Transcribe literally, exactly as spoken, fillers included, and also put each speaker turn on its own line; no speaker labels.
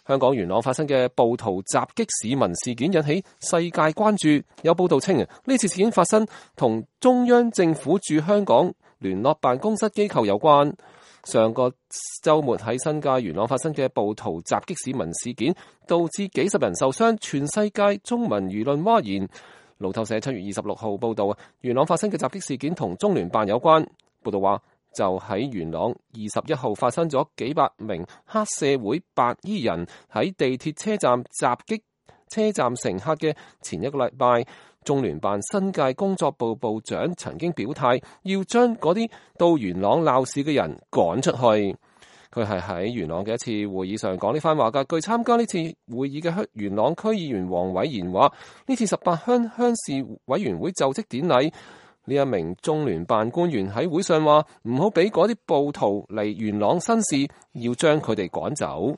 香港元朗發生嘅暴徒襲擊市民事件引起世界關注，有報道稱啊，呢次事件發生同中央政府駐香港聯絡辦公室機構有關。上個週末喺新界元朗發生嘅暴徒襲擊市民事件，導致幾十人受傷，全世界中文輿論譁然。路透社七月二十六號報道，元朗發生嘅襲擊事件同中聯辦有關。報道話，就喺元朗二十一號發生咗幾百名黑社會白衣人喺地鐵車站襲擊車站乘客嘅前一個禮拜，中聯辦新界工作部部長曾經表態，要將嗰啲到元朗鬧事嘅人趕出去。佢係喺元朗嘅一次會議上講呢番話㗎。據參加呢次會議嘅元朗區議員黃偉賢話，呢次十八鄉鄉事委員會就職典禮，呢一名中聯辦官員喺會上話，唔好俾嗰啲暴徒嚟元朗生事，要將佢哋趕走。